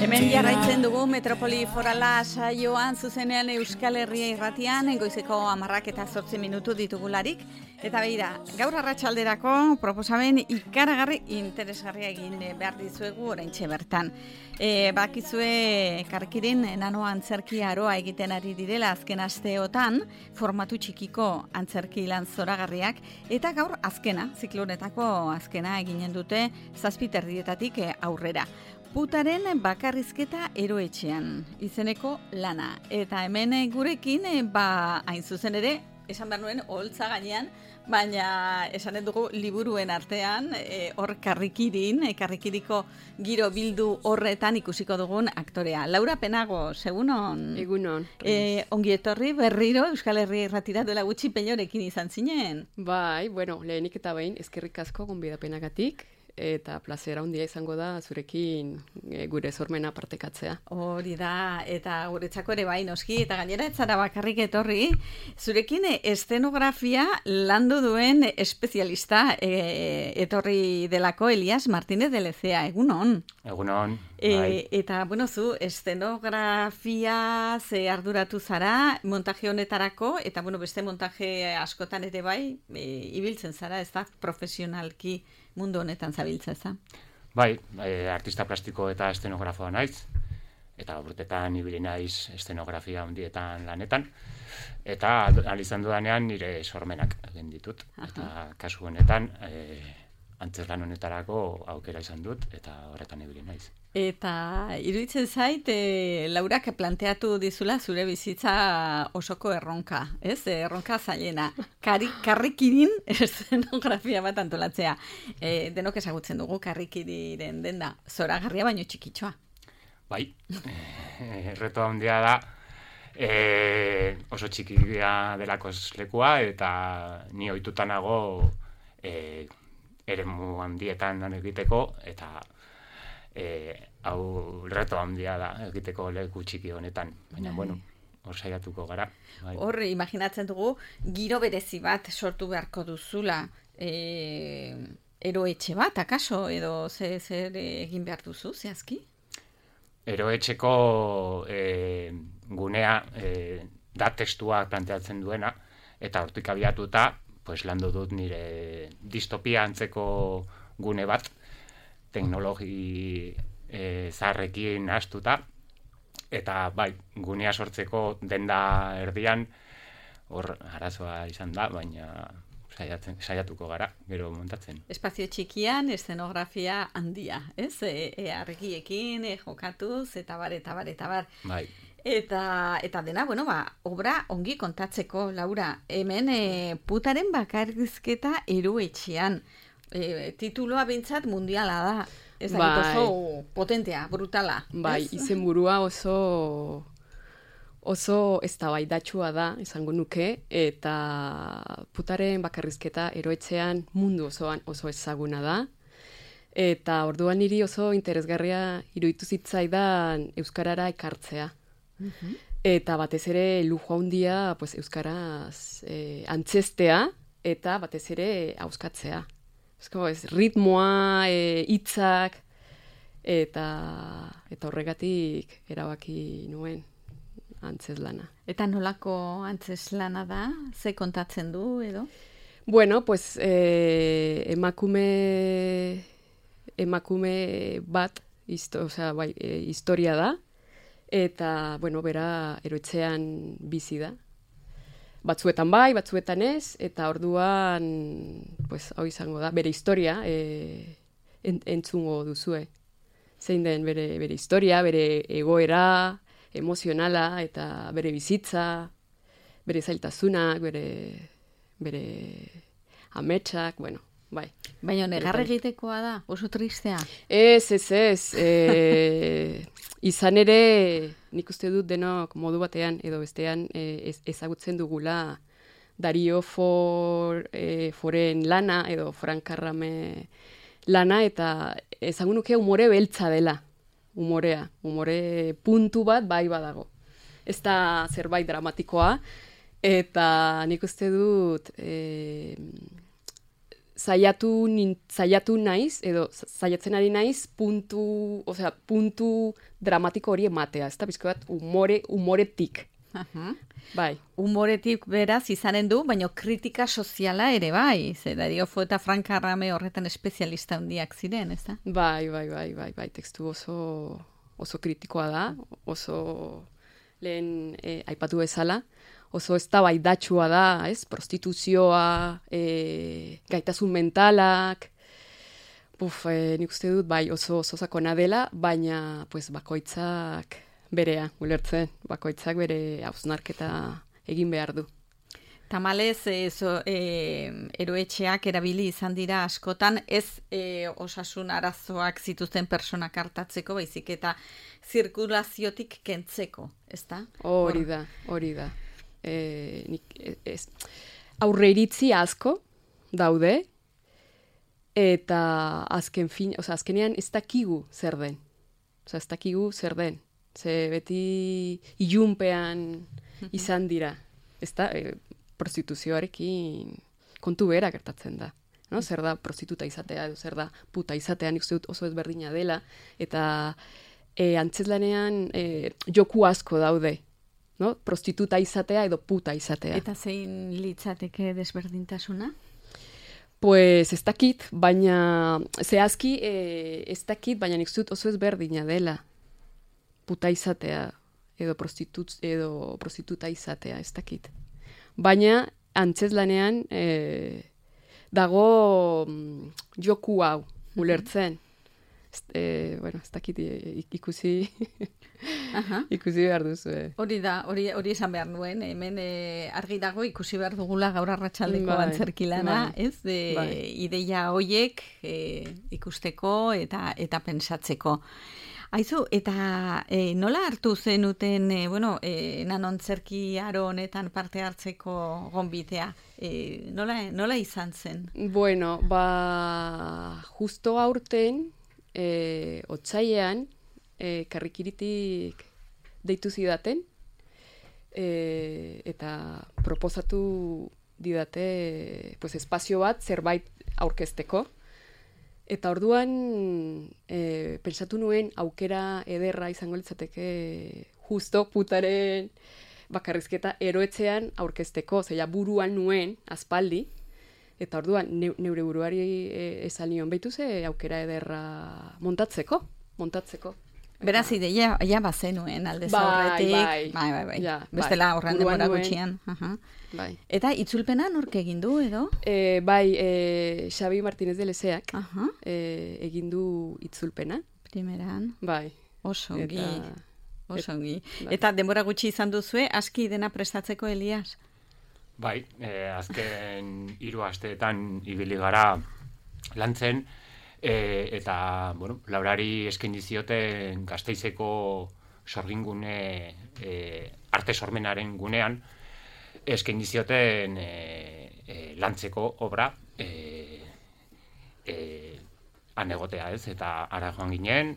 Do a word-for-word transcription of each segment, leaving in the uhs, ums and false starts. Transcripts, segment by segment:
Hemen jarraitzen dugu Metropoli Forala saioan zuzenean Euskal Herria irratian, goizeko hamarrak eta zortzi minutu ditugularik. Eta begira, gaur arratsalderako proposamen ikaragarri interesgarria egin behar dizuegu oraintxe bertan. E, bakizue Karkirin nano antzerki aroa egiten ari direla azken asteotan, formatu txikiko antzerki lan zoragarriak, eta gaur azkena, ziklonetako azkena eginen dute zazpi terdietatik aurrera. Putaren bakarrizketa eroetxean, izeneko lana. Eta hemen gurekin, ba, hain zuzen ere, esan behar nuen, oholtza gainean, baina esanen dugu liburuen artean, e, hor karrikirin, e, karrikiriko giro bildu horretan ikusiko dugun aktorea. Laura Penago, segunon? Egunon. E, ongi etorri berriro Euskal Herria irratira duela gutxi peñorekin izan zinen. Bai, bueno, lehenik eta behin, eskerrik asko gonbidapenagatik, eta plazera handia izango da zurekin e, gure sormena partekatzea. Hori da, eta guretzako ere bai noski, eta gainera ez zara bakarrik etorri, zurekin estenografia landu duen espezialista e, etorri delako Elias Martínez de Lecea, egunon. Egunon, e, bai. Eta, bueno, zu, estenografia ze arduratu zara, montaje honetarako, eta, bueno, beste montaje askotan ere bai, e, ibiltzen zara, ez da, profesionalki mundu honetan zabiltza, ez da? Bai, e, artista plastiko eta estenografoa naiz, eta urtetan ibili naiz estenografia handietan lanetan, eta ahal izan dudanean nire sormenak egin ditut. Aha. Eta kasu honetan, e, antzezlan honetarako aukera izan dut, eta horretan ibili naiz. Eta iruditzen zait, e, Laurak planteatu dizula zure bizitza osoko erronka, ez? Erronka zailena. Kari, karrikirin estenografia bat antolatzea. E, denok ezagutzen dugu karrikiriren denda zoragarria baino txikitxoa. Bai, e, reto handia da, e, oso txikia delako lekua, eta ni ohituta nago e, eremu handietan lan egiteko, eta E, hau reto handia da egiteko leku txiki honetan, baina, bueno, hor saiatuko gara. Bai. Hor, imaginatzen dugu, giro berezi bat sortu beharko duzula, e, eroetxe bat, akaso, edo zer, zer egin behar duzu, zehazki? Eroetxeko e, gunea e, da testua planteatzen duena, eta hortik abiatuta, pues, landu dut nire distopia antzeko gune bat, teknologi e, zaharrekin astuta, eta bai, gunea sortzeko denda erdian, hor arazoa izan da, baina saiatzen, saiatuko gara, gero montatzen. Espazio txikian, eszenografia handia, ez? E, e, argiekin, e, jokatuz, eta bar, eta bar, eta bar. Bai. Eta, eta dena, bueno, ba, obra ongi kontatzeko, Laura, hemen e, putaren bakarrizketa eroetxean. E, tituloa bintzat mundiala da. Ez da, bai. Oso potentea, brutala. Bai, izenburua oso oso eztabaidatsua da, esango nuke, eta putaren bakarrizketa eroetxean mundu osoan oso ezaguna da. Eta orduan niri oso interesgarria iruditu zitzaidan euskarara ekartzea. Uh-huh. Eta batez ere lujo handia, pues, euskaraz eh, antzestea, eta batez ere hauskatzea. Ez, ritmoa, e, hitzak, eta, eta horregatik erabaki nuen antzeslana. Eta nolako antzeslana da? Ze kontatzen du, edo? Bueno, pues, e, emakume, emakume bat, histo, osea, bai, e, historia da, eta, bueno, bera eroetxean bizi da. Batzuetan bai, batzuetan ez, eta orduan, pues, hau izango da, bere historia e, ent, entzungo duzue. Zein den bere, bere historia, bere egoera, emozionala, eta bere bizitza, bere zailtasunak, bere, bere ametsak, bueno, bai. Baina negar egitekoa da, oso tristea. Ez, ez, ez. E, izan ere, nik uste dut denok modu batean edo bestean e, ezagutzen dugula Dario For, e, Foren lana edo Frankarrame lana, eta esango nuke umore beltza dela, umorea. Umore puntu bat bai badago. Ez da zerbait dramatikoa, eta nik uste dut e, zaiatu, nin, zaiatu naiz, edo zaiatzen ari naiz, puntu, osea, puntu dramatiko hori ematea, ez da, bizko bat, umore, umoretik. Uh-huh. Bai. Humoretik beraz izanen du, baina kritika soziala ere bai. Zer, Dario Fo eta Frank Arrame horretan espezialista handiak ziren, ez da? Bai, bai, bai, bai, bai, tekstu oso, oso kritikoa da, oso lehen eh, aipatu bezala, oso eztabaidatsua da, ez? Prostituzioa, eh, gaitasun mentalak, buf, eh, nik uste dut, bai, oso, oso sakona dela, baina, pues, bakoitzak berea, ulertzen, bakoitzak bere hausnarketa egin behar du. Tamalez, e, zo, e, eroetxeak erabili izan dira askotan, ez e, osasun arazoak zituzten personak hartatzeko, baizik eta zirkulaziotik kentzeko, ez da? Hori da, hori da. E, nik, ez, aurre iritzi asko daude, eta azken fin, oza, azkenean ez dakigu zer den. Oza, ez dakigu zer den. Ze beti ilunpean izan dira. Ez da, e, prostituzioarekin kontu bera gertatzen da. No? Zer da prostituta izatea, edo zer da puta izatea, nik uste dut oso ezberdina dela. Eta e, antzezlanean e, joku asko daude. No? Prostituta izatea edo puta izatea. Eta zein litzateke desberdintasuna? Pues ez dakit, baina zehazki e, ez dakit, baina nik uste dut oso ezberdina dela. Puta izatea edo, prostitut, edo prostituta izatea, ez dakit. Baina antzezlanean e, dago mm, joku hau, ulertzen. E, bueno, ez dakit ikusi, ikusi behar duzu. Eh. Hori da, hori, hori esan behar nuen, hemen e, argi dago ikusi behar dugula gaur arratsaldeko bai, antzerkilana, bai, ez? E, bai. Ideia hoiek e, ikusteko eta eta pentsatzeko. Aizu, eta e, nola hartu zenuten, e, bueno, e, nanontzerki aro honetan parte hartzeko gonbitea? E, nola, nola izan zen? Bueno, ba, justo aurten, e, otsailean, e, karrikiritik deitu zidaten, e, eta proposatu didate, pues, espazio bat zerbait aurkezteko. Eta orduan e, pentsatu nuen aukera ederra izango litzateke justo putaren bakarrizketa eroetxean aurkezteko, zeia buruan nuen aspaldi, eta orduan ne, neure buruari e, esan nion behitu ze aukera ederra montatzeko, montatzeko. Beraz, ideia ja bazenuen alde zaurretik. Bai, bai, bai. bai. Ja, Bestela bai. horren demora gutxian. Uh-huh. Bai. Eta itzulpena nork egin du edo? E, bai, e, Xabi Martínez de Lezeak uh-huh. e, egin du itzulpena. Primeran. Bai. Oso ongi. Eta, oso ongi. Bai. Eta denbora gutxi izan duzue, aski dena prestatzeko, Elias? Bai, eh, azken hiru asteetan ibili gara lantzen, e, eta, bueno, Laurari eskaini zioten Gasteizeko sorgingune e, arte sormenaren gunean, eskaini zioten e, e, lantzeko obra e, e, anegotea, ez? Eta ara joan ginen,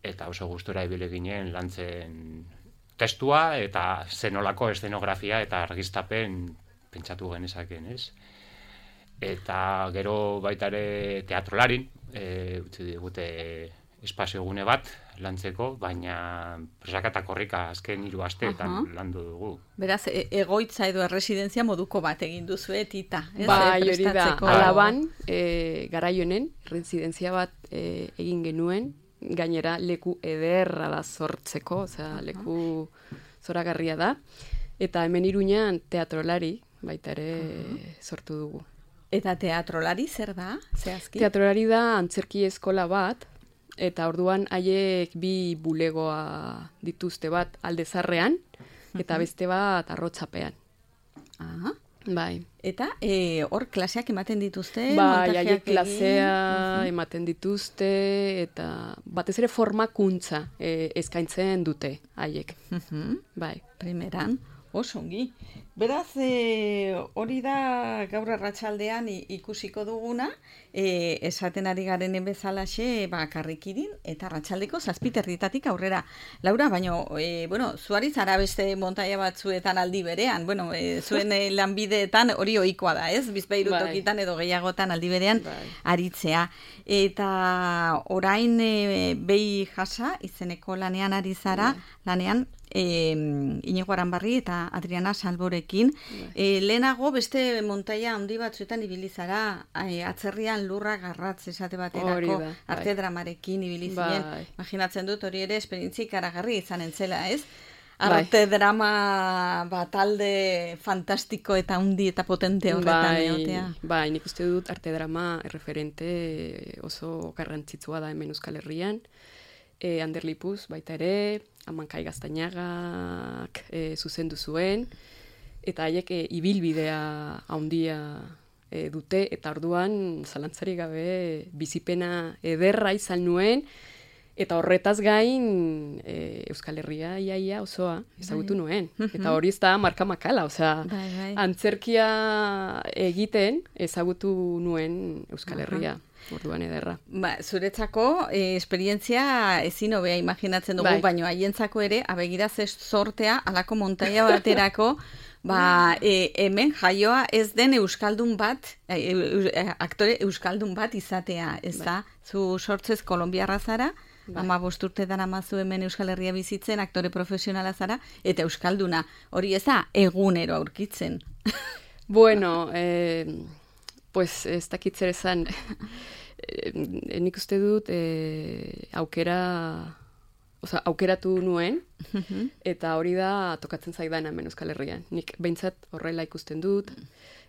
eta oso gustura ibili ginen lantzen testua, eta zenolako eszenografia eta argiztapen pentsatu genezaken, ez? Eta gero baita ere teatrolarin, e, utzi digute espazio gune bat lantzeko, baina presaka eta korrika azken hiru asteetan uh-huh. landu dugu. Beraz, e egoitza edo erresidentzia moduko bat egin duzu etita, ez? Bai, E, hori da, prestatzeko- Alaban, e, garaionen, residentzia bat e, egin genuen, gainera leku ederra da sortzeko, osea, leku zoragarria da, eta hemen Iruñan teatrolari, baita ere sortu dugu. Eta teatrolari zer da, zehazki? Teatrolari da antzerki eskola bat, eta orduan haiek bi bulegoa dituzte, bat Aldezarrean, eta beste bat Arrotxapean. Aha. Bai. Eta e, hor klaseak ematen dituzte? Bai, montajeak haiek egin? klasea Mhm. ematen dituzte, eta batez ere formakuntza e, eskaintzen dute haiek. Mhm. Bai. Primeran, oso ongi. Beraz, e, hori da gaur arratsaldean ikusiko duguna, e, esaten ari garenen bezalaxe, ba, karrikidin, eta arratsaldeko zazpiterritatik aurrera. Laura, baino, e, bueno, zuari zara beste montaia batzuetan aldi berean, bueno, e, zuen e, lanbideetan hori ohikoa da, ez? Bizpahiru tokitan edo gehiagotan aldi berean aritzea. Eta orain e, behi jasa, izeneko lanean ari zara, lanean, E, Inigo Aranbarri eta Adriana Salborekin. E, lehenago beste montaia handi batzuetan ibili zara, e, atzerrian lurra garratz esate baterako da, arte bai. Dramarekin ibili ziren. Bai. Imaginatzen dut hori ere esperientzia ikaragarri izanen zela, ez? Arte bai. Drama batalde fantastiko eta handi eta potente horretan bai, egotea. Bai, nik uste dut arte drama referente oso garrantzitsua da hemen Euskal Herrian. E, Ander Lipuz baita ere, Amankai Gaztainagak e, zuzendu zuen, eta haiek e, ibilbidea handia e, dute, eta orduan zalantzari gabe bizipena ederra izan nuen, eta horretaz gain e, Euskal Herria iaia osoa ezagutu nuen. Eta hori ez da marka makala, osea, bai, bai. Antzerkia egiten ezagutu nuen Euskal Herria. Orduan ederra. Ba, zuretzako e, esperientzia ezin hobea imaginatzen dugu, bai. Baino haientzako ere, abegira ze sortea alako montaia baterako, ba, e, hemen jaioa ez den euskaldun bat, e, e, aktore euskaldun bat izatea, ez da? Bai. Zu sortzez kolombiarra zara, bai. Ama bosturtetan amazu hemen Euskal Herria bizitzen, aktore profesionala zara, eta euskalduna. Hori ez da, egunero aurkitzen. Bueno, eh, pues ez dakitzer esan... E, nik uste dut e, aukera oza, aukeratu nuen eta hori da tokatzen zaidan hemen Euskal Herrian. Nik behintzat horrela ikusten dut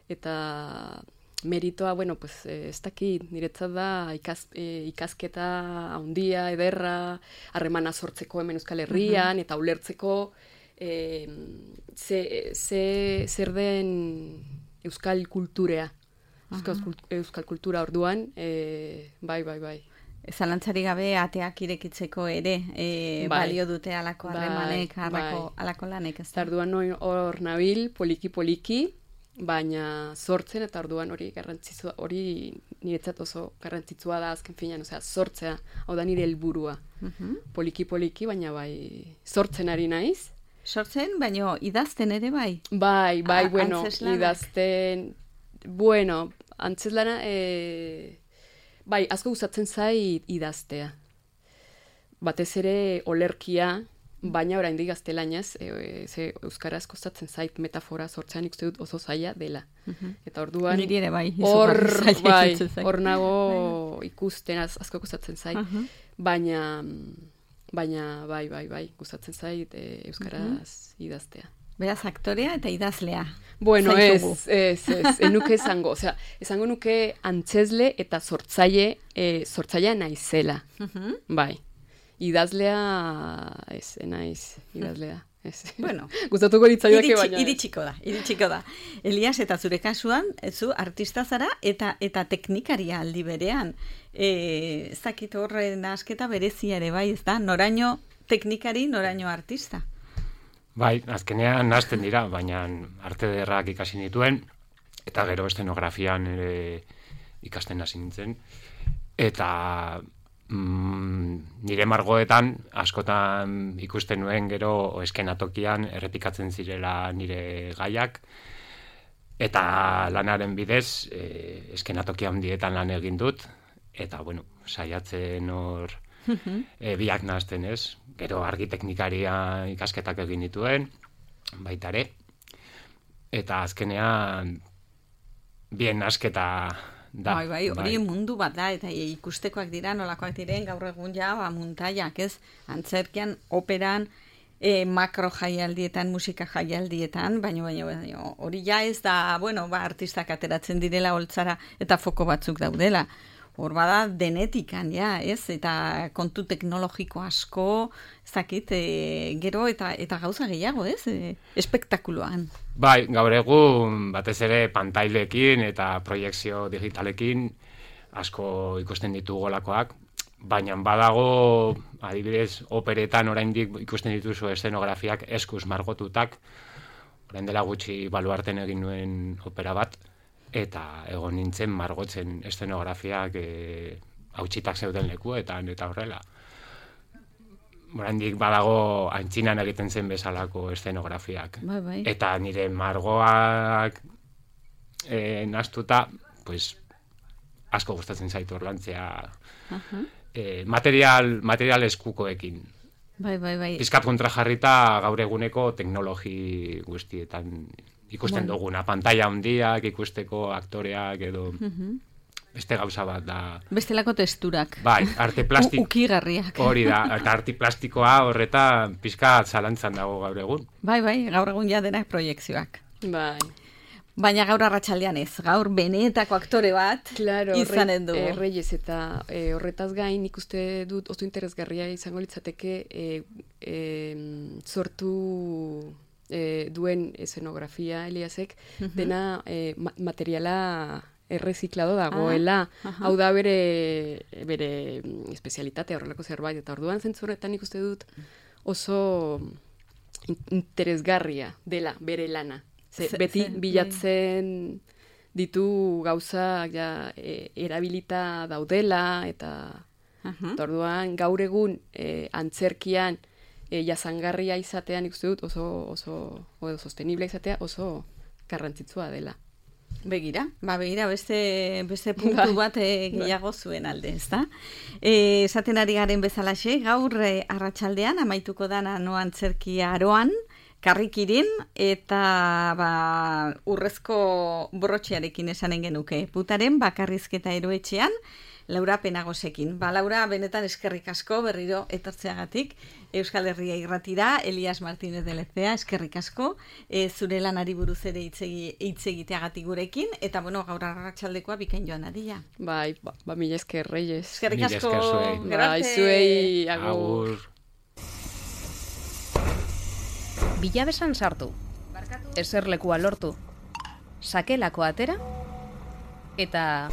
eta meritoa, bueno, pues, ez dakit niretzat da ikaz, e, ikasketa handia, ederra, harremana sortzeko hemen Euskal Herrian uh-huh. eta ulertzeko e, ze, ze, zer den Euskal kulturea. Euskal, Euskal kultura orduan, e, bai, bai, bai. Zalantzari gabe ateak irekitzeko ere, e, bai. Balio dute alako harremanek, bai, alako, bai. Alako lanek. Ez da? Orduan hor nabil, poliki-poliki, baina sortzen eta orduan hori garrantzitsua, hori niretzat oso garrantzitsua da azken finean, osea, sortzea, hau da nire helburua. Uh-huh. Poliki-poliki, baina bai, sortzen ari naiz. Sortzen, baina idazten ere bai? Bai, bai, A, bueno, idazten... Bueno, antzeslana, e, bai, asko gustatzen zait idaztea. Batez ere olerkia, baina oraindik gaztelaniaz, e, ze euskaraz kostatzen zait metafora sortzean ikuste dut oso zaila dela. Uh-huh. Eta orduan niri ere bai, hor bai, hor nago ikusten asko kostatzen zait, uh-huh. baina baina bai, bai, bai, gustatzen zait e, euskaraz uh-huh. idaztea. Beraz, aktorea eta idazlea. Bueno, ez, ez, ez, enuke esango. Osea, esango nuke antzesle eta sortzaile, e, sortzailea naizela. Uh-huh. Bai. Idazlea, ez, naiz, idazlea. Ez. Bueno, gustatuko litzaioke baina. Iritsiko da, iritsiko da. Elias, eta zure kasuan, zu artista zara eta eta teknikaria aldi berean. E, ez dakit horren asketa berezia ere bai, ez da? Noraino teknikari, noraino artista. Bai, azkenean hasten dira, baina arte ederrak ikasi nituen, eta gero estenografian ere ikasten hasi nintzen. Eta mm, nire margoetan, askotan ikusten nuen gero eskenatokian errepikatzen zirela nire gaiak, eta lanaren bidez e, eskenatokia handietan lan egin dut, eta bueno, saiatzen hor e, biak nahazten ez. Gero argiteknikaria ikasketak egin dituen, baita ere. Eta azkenean bien nasketa da. Bai, bai, hori bai. Mundu bat da, eta ikustekoak dira, nolakoak diren, gaur egun ja, ba, muntaiak, ez? Antzerkian, operan, e, makro jaialdietan, musika jaialdietan, baina, baina, baina, hori ja ez da, bueno, ba, artistak ateratzen direla holtzara, eta foko batzuk daudela. Hor bada denetikan, ja, ez? Eta kontu teknologiko asko, ez dakit, e, gero eta eta gauza gehiago, ez? E, espektakuloan. Bai, gaur egun batez ere pantailekin eta proiekzio digitalekin asko ikusten ditugu golakoak, baina badago, adibidez, operetan oraindik ikusten dituzu eszenografiak eskuz margotutak, orain dela gutxi Baluarten egin nuen opera bat, eta egon nintzen margotzen eszenografiak e, hautsitak zeuden lekuetan, eta horrela. Oraindik badago antzinan egiten zen bezalako eszenografiak. Bai, bai. Eta nire margoak e, nastuta, pues, asko gustatzen zaitu orlantzea. Uh-huh. E, material, material eskukoekin. Bai, bai, bai. Pizkat kontrajarrita gaur eguneko teknologi guztietan ikusten bueno. duguna. Pantalla handiak ikusteko aktoreak edo uh-huh. beste gauza bat da. Bestelako testurak. Bai, arte plastiko. Ukigarriak. Hori da, eta arte plastikoa horreta pizkat zalantzan dago gaur egun. Bai, bai, gaur egun ja denak proiekzioak. Bai. Baina gaur arratsaldean ez, gaur benetako aktore bat claro, izanen du. E, Reyes eta e, horretaz gain ikuste dut oso interesgarria izango litzateke e, e, sortu e, duen eszenografia Eliasek, uh-huh. dena e, ma- materiala erreziklado dagoela, ah, hau da bere, bere espezialitatea horrelako zerbait, eta orduan zentzuretan ikuste dut oso interesgarria dela bere lana. Ze, ze, beti ze, bilatzen ditu gauzak ja, e, erabilita daudela, eta, uh-huh. eta orduan gaur egun e, antzerkian e, jasangarria izatean ikuste dut oso, oso, oso sostenible izatea oso garrantzitsua dela. Begira, ba begira beste beste puntu bat e, gehiago zuen alde, ezta? Eh, esaten ari garen bezalaxe, gaur e, arratsaldean amaituko dana no antzerkia aroan, karrikirin eta ba, urrezko brotxearekin esanen genuke. Putaren bakarrizketa eroetxean, Laura Penagosekin. Ba, Laura, benetan eskerrik asko berriro etortzeagatik Euskal Herria irratira, Elias Martínez de Lezea, eskerrik asko, e, zure lanari buruz ere hitz egiteagatik gurekin, eta bueno, gaur arratsaldekoa bikain joan adia. Bai, ba, ba mila esker, Reyes. Eskerrik asko, bai, zuei, agur. Bilabesan sartu, eserlekua lortu, sakelako atera, eta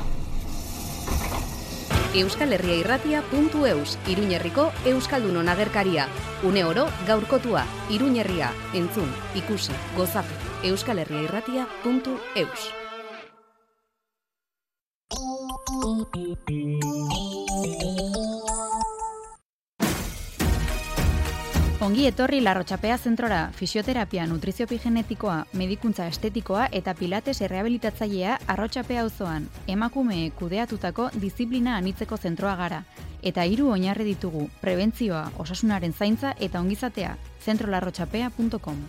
Euskal Herria irratia puntu eus, Iruñerriko Euskaldunon agerkaria. Une oro gaurkotua, Iruñerria, entzun, ikusi, gozatu. Euskal Herria irratia puntu eus. Ongi etorri Larrotxapea zentrora, fisioterapia, nutriziopigenetikoa, medikuntza estetikoa eta pilates errehabilitatzailea Arrotxapea auzoan. Emakume kudeatutako diziplina anitzeko zentroa gara. Eta hiru oinarri ditugu, prebentzioa, osasunaren zaintza eta ongizatea. zentro larrotxapea puntu com.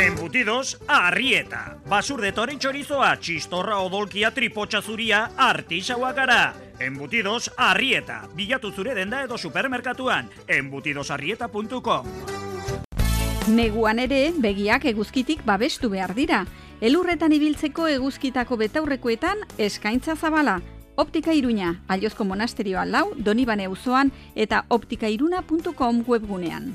Embutidos Arrieta. Basurde toren txorizoa, txistorra odolkia, tripotxa zuria, artixaua gara. Embutidos Arrieta. Bilatu zure denda edo supermerkatuan. embutidos arrieta puntu com. Neguan ere, begiak eguzkitik babestu behar dira. Elurretan ibiltzeko eguzkitako betaurrekoetan eskaintza zabala. Optika Iruña, Aliozko monasterioa lau, Donibane auzoan eta optikairuna puntu com webgunean.